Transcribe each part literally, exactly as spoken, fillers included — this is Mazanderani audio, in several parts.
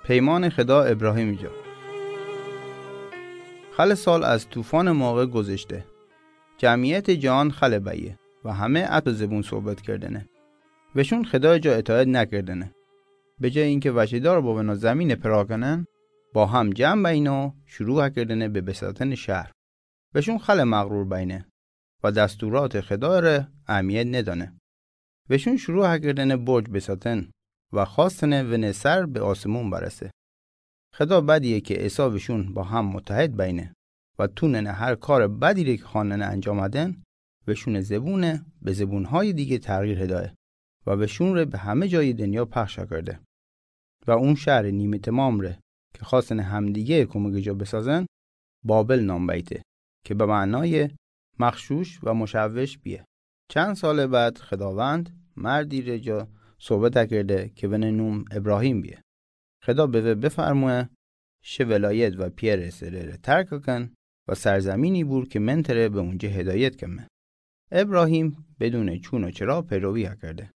پیمان خدا ابراهیم جا. خل سال از طوفان موقع گذشته. جمعیت جهان خل بیه و همه اتو زبون صحبت کردنه. وشون خدای جا اطاعت نکردنه. به جای اینکه وشیدار بوبن و زمین پرا کنن، با هم جمع بین و شروع کردنه به بساتن شهر. وشون خل مغرور بینه و دستورات خدا ره اهمیت ندانه. وشون شروع کردنه برج بساتن و خواستنه ونه سر به آسمون برسه. خدا بدیه که عیسی وشون با هم متحد بینه و توننه هر کار بدی ره که خواننه انجام هدن، وشون زبونه به زبونهای دیگه تغییر هدایه و وشون ره به همه جای دنیا پخش کرده. و اون شهر نیمه تمام ره که خواستن همدیگه کمک جا بسازن، بابل نام بیته که به معنای مغشوش و مشوش بیه. چند سال بعد خداوند مردی ره جا صحبت کرده که ونه نوم ابراهیم بیه. خدا به وی بفرموه: شه ولایت و پئر سره ره ترک کن و سرزمینی بور که من تره به اونجه هدایت کمه. ابراهیم بدون چون و چرا پیروی کرده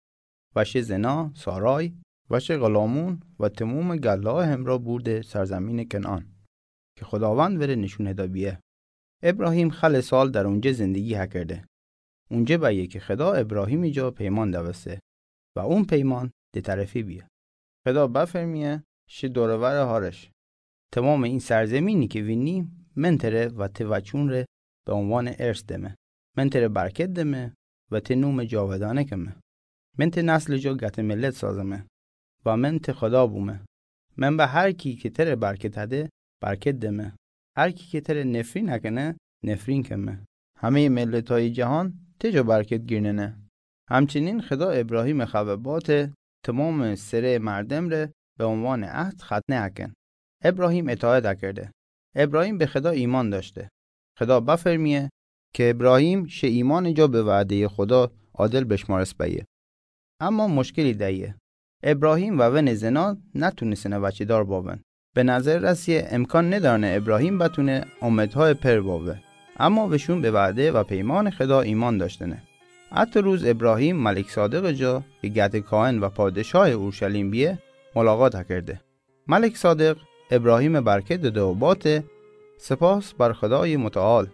و شه زنا سارای و شه غلامون و تمام گله همرا بورده سرزمین کنعان که خداوند وره نشون هدا بیه. ابراهیم خل سال در اونجه زندگی کرده. اونجه بیه که خدا ابراهیم جا پیمان دوسته و اون پیمان ده طرفی بیه. خدا بفرمیه: شه دور و ور هارش. تمام این سرزمینی که وینی من تره و ته وچون ره به عنوان ارث دمه. من تره برکت دمه و ته نوم جاودانه کمه. من ته نسل جا گته ملت سازمه و من ته خدا بومه. من به هر کی که تره برکت هده، برکت دمه. هر کی که تره نفرین هکنه، نفرین کمه. همه ملتای جهان ته جا برکت گیرننه. همچنین خدا ابراهیم خوه باته تمام سره مردم ره به عنوان عهد ختنه هکن. ابراهیم اطاعت کرده. ابراهیم به خدا ایمان داشته. خدا بفرمیه که ابراهیم شه ایمان جا به وعده خدا عادل بشمارس بیه. اما مشکلی دیه. ابراهیم و ون زنا نتونستنه وچه‌دار باون. به نظر رسیه امکان ندارنه ابراهیم بتونه امتهای پر باوه. اما وشون به وعده و پیمان خدا ایمان داشتنه. اتو روز ابراهیم ملک صادق جا که گته کاهن و پادشاه اورشلیم بیه، ملاقات کرده. ملک صادق ابراهیم برکت داده و باته: سپاس بر خدای متعال،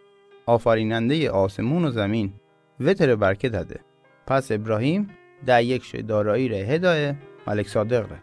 آفرینندهٔ آسمون و زمین، وی تره برکت هده. پس ابراهیم ده یک شه دارایی ره هدایه ملک صادق ره.